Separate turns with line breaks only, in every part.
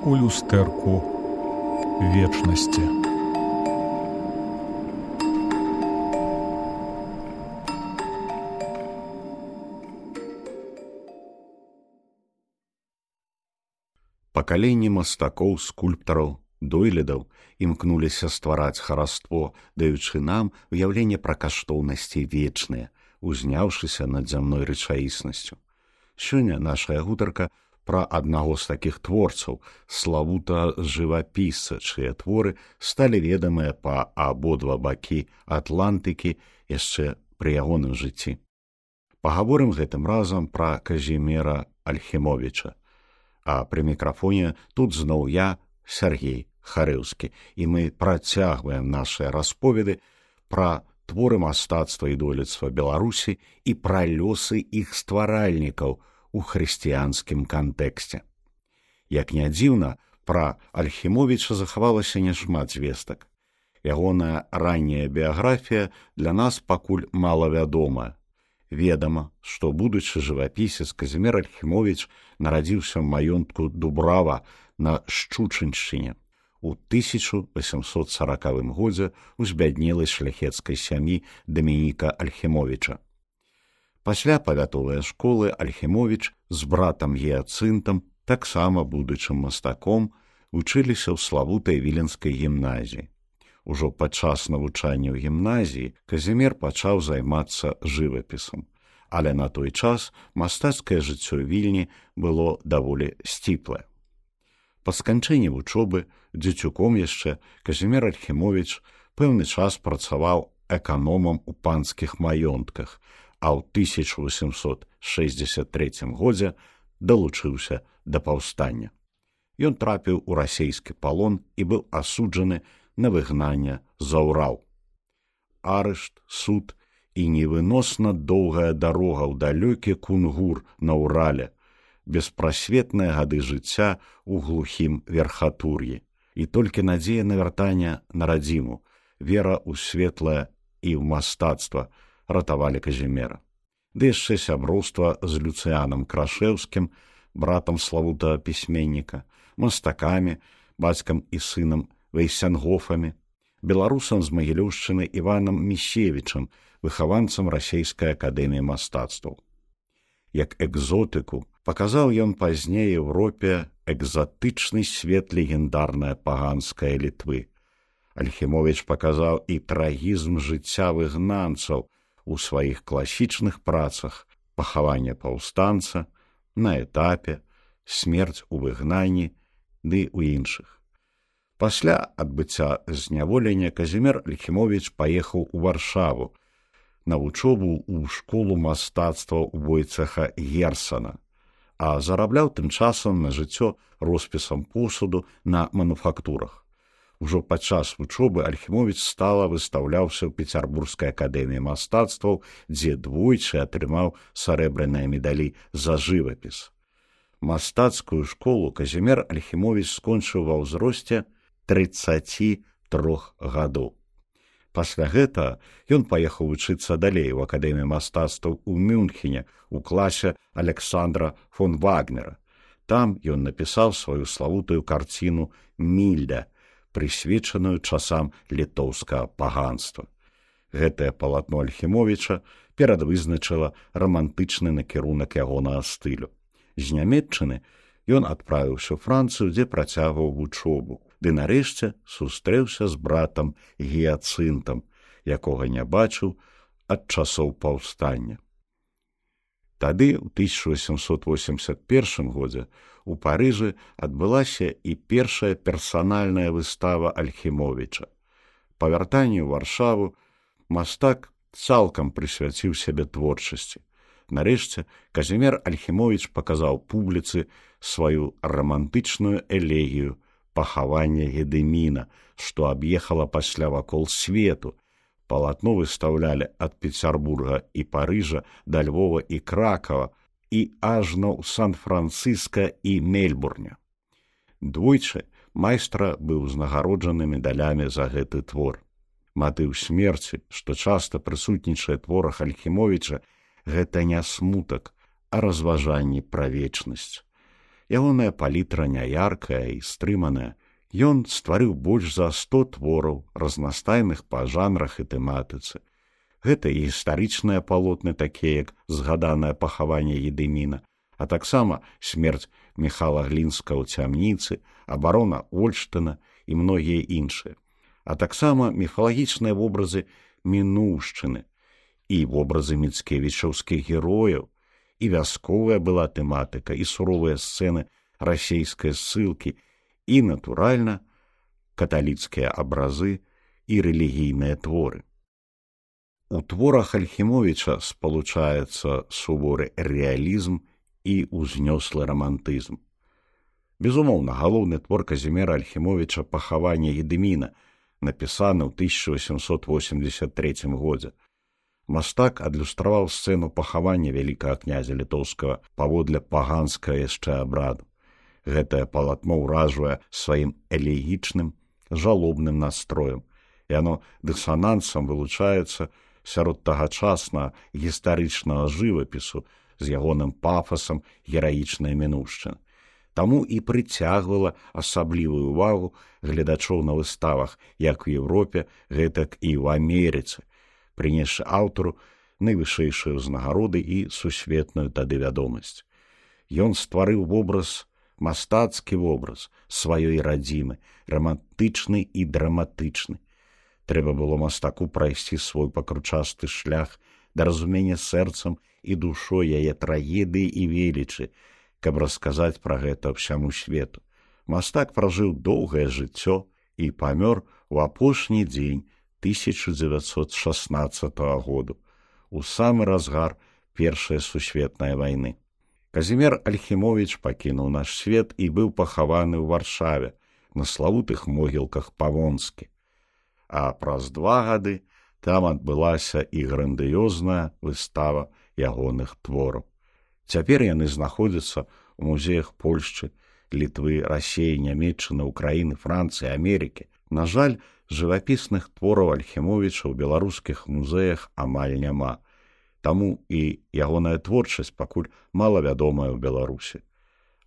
у люстэрку вечнасці.
Пакаленні мастакоў, скульптараў, дойлідаў імкнуліся ствараць хараство, даючы нам уяўленне пра каштоўнасці вечныя, узняўшыся над зямной рэчаіснасцю. Сёння нашая гутарка пра аднаго з такіх творцаў, славута жывапісца, чые творы сталі ведамыя па абодва бакі Атлантыкі яшчэ пры ягоным жыцці. Пагаворым гэтым разам пра Казіміра Альхімовіча. А пры мікрафоне тут зноў я, Сергей Харэўскі, і мы працягваем нашыя расповеды пра творы мастацтва і дойлідства Беларусі і пра лёсы іх стваральнікаў у хрысціянскім кантэксце. Як не дзіўна, пра Альхімовіча захавалася няшмат звестак. Ягоная ранняя біяграфія для нас пакуль малавядомая. Ведама, што будучы жывапісец Казімір Альхімовіч нарадзіўся ў маёнтку Дубрава на Шчучыншчыне у 1840 годзе ў збяднелай шляхецкай сям'і Дамініка Альхімовіча. Пасля павятовай школы Альхімовіч з братам Гіяцынтам, таксама будучым мастаком, вучыліся ў славутай віленскай гімназіі. Ужо падчас навучання ў гімназіі Казімір пачаў займацца жывапісам, але на той час мастацкае жыццё Вільні было даволі сціплае. Па сканчэнні вучобы, дзецюком яшчэ, Казімір Альхімовіч пэўны час працаваў эканомам у панскіх маёнтках, а ў 1863 годзе далучыўся да паўстання. Ён трапіў у расейскі палон і быў асуджаны на выгнанне за Урал. Арышт, суд і невыносна доўгая дарога ў далёкі Кунгур на Урале, беспрасветныя гады жыцця ў глухім верхатур'і. І толькі надзея на вяртанне на радзіму, вера ў светлае і ў мастацтва ратавалі Казіміра. Ды яшчэ сяброўства з Люцыянам Крашэўскім, братам славутага пісьменніка, мастакамі, бацькам і сынам Вейсянгофамі, беларусам з Магілёўшчыны Іванам Місевічам, выхаванцам расейскай акадэміі мастацтваў. Як экзотыку паказаў ён пазней Еўропе экзатычны свет легендарнай паганскай Літвы. Альхімовіч паказаў і трагізм жыцця выгнанцаў у сваіх класічных працах «Пахаванне паўстанца», «На этапе», «Смерць у выгнанні» ды ў іншых. Пасля адбыцця зняволення Казімір Альхімовіч паехаў у Варшаву на вучобу ў школу мастацтва Войцеха Герсана, а зарабляў тым часам на жыццё роспісам посуду на мануфактурах. Ужо падчас вучобы Альхімовіч стала выстаўляўся ў Пецярбургскай акадэміі мастацтваў, дзе двойчы атрымаў сарэбраныя медалі за жывапіс. Мастацкую школу Казімір Альхімовіч скончыў ва ўзросце 33 гадоў. Пасля гэтага ён паехаў вучыцца далей у акадэміі мастацтваў у Мюнхене у класе Александра фон Вагнера. Там ён напісаў сваю славутую карціну «Мільда», прысвечаную часам літоўскага паганства. Гэтае палатно Альхімовіча перадвызначыла рамантычны накірунак ягонага стылю. З Нямецчыны ён адправіўся ў Францыю, дзе працягваў вучобу, ды нарэшце сустрэўся з братам Гіяцынтам, якога не бачыў ад часоў паўстання. Тады, у 1881 годзе, у Парыжы адбылася і першая персанальная выстава Альхімовіча. Па вяртанні ў Варшаву мастак цалкам прысвяціў сябе творчасці. Нарэшце, Казімір Альхімовіч паказаў публіцы сваю рамантычную элегію «Пахаванне Гедыміна», што аб'ехала пасля вакол свету. Палатно выстаўлялі ад Пецярбурга і Парыжа да Львова і Кракава і ажно ў Сан-Францыска і Мельбурне. Двойчы майстра быў узнагароджаны медалямі за гэты твор. Матыў смерці, што часта прысутнічае творах Альхімовіча, гэта не смутак, а разважанні пра вечнасць. Ягоная палітра няяркая і стрыманая. Ён стварыў больш за 100 твораў, разнастайных па жанрах і тэматыцы. Гэта і гістарычныя палотны, такія як згаданае пахаванне Едыміна, а таксама смерць Міхала Глінска ў цямніцы, абарона Ольштына і многія іншыя, а таксама міфалагічныя вобразы мінуўшчыны і вобразы міцкевічаўскіх герояў, і вясковая была тэматыка, і суровыя сцэны расейскай ссылкі, і, натуральна, каталіцкія абразы і рэлігійныя творы. У творах Альхімовіча спалучаецца суворы рэалізм і ўзнёслы рамантызм. Безумоўна, галоўны твор Казіміра Альхімовіча «Пахаванне Едыміна», напісаны ў 1883 годзе. Мастак адлюстраваў сцэну пахавання вялікага князя літоўскага паводле паганскага яшчэ абраду. Гэтае палатно ўражвае сваім элегічным, жалобным настроем, і яно дысанансам вылучаецца сярод тагачаснага гістарычнага жывапісу з ягоным пафасам гераічнай мінуўшчыны. Таму і прыцягвала асаблівую ўвагу гледачоў на выставах як у Еўропе, гэтак і ў Амерыцы, прынесшы аўтару найвышэйшыя ўзнагароды і сусветную тады вядомасць. Ён стварыў мастацкі вобраз сваёй радзімы, рамантычны і драматычны. Трэба было мастаку прайсці свой пакручасты шлях да разумення сэрцам і душой яе трагедыі і велічы, каб расказаць пра гэта ўсяму свету. Мастак пражыў доўгае жыццё і памёр у апошні дзень 1916 году, у самы разгар Першай сусветнай вайны. Казімір Альхімовіч пакінуў наш свет і быў пахаваны ў Варшаве на славутых могілках Павонскі. А праз 2 гады там адбылася і грандыёзная выстава ягоных твораў. Цяпер яны знаходзяцца ў музеях Польшчы, Літвы, Расеі, Нямецчыны, Украіны, Францыі, Амерыкі. На жаль, жывапісных твораў Альхімовіча ў беларускіх музеях амаль няма. Таму і ягоная творчасць пакуль малавядомая ў Беларусі.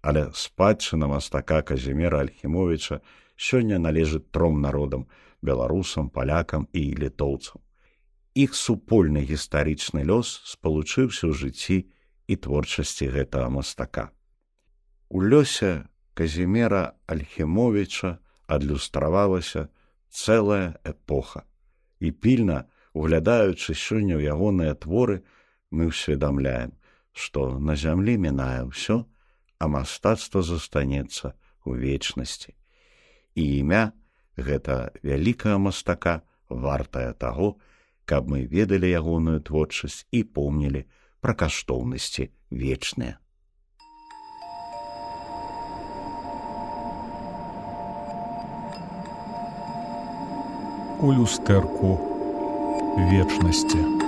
Але спадчына мастака Казіміра Альхімовіча сёння належыць 3 народам – беларусам, палякам і літоўцам. Іх супольны гістарычны лёс спалучыўся ў жыцці і творчасці гэтага мастака. У лёсе Казіміра Альхімовіча адлюстравалася цэлая эпоха. І пільна, углядаючы сёння ў ягоныя творы, мы ўсведамляем, што на зямлі мінае ўсё, а мастацтва застанецца ў вечнасці. І імя гэта вялікага мастака вартае таго, каб мы ведалі ягоную творчасць і помнілі пра каштоўнасці вечныя.
У люстэрку вечнасці.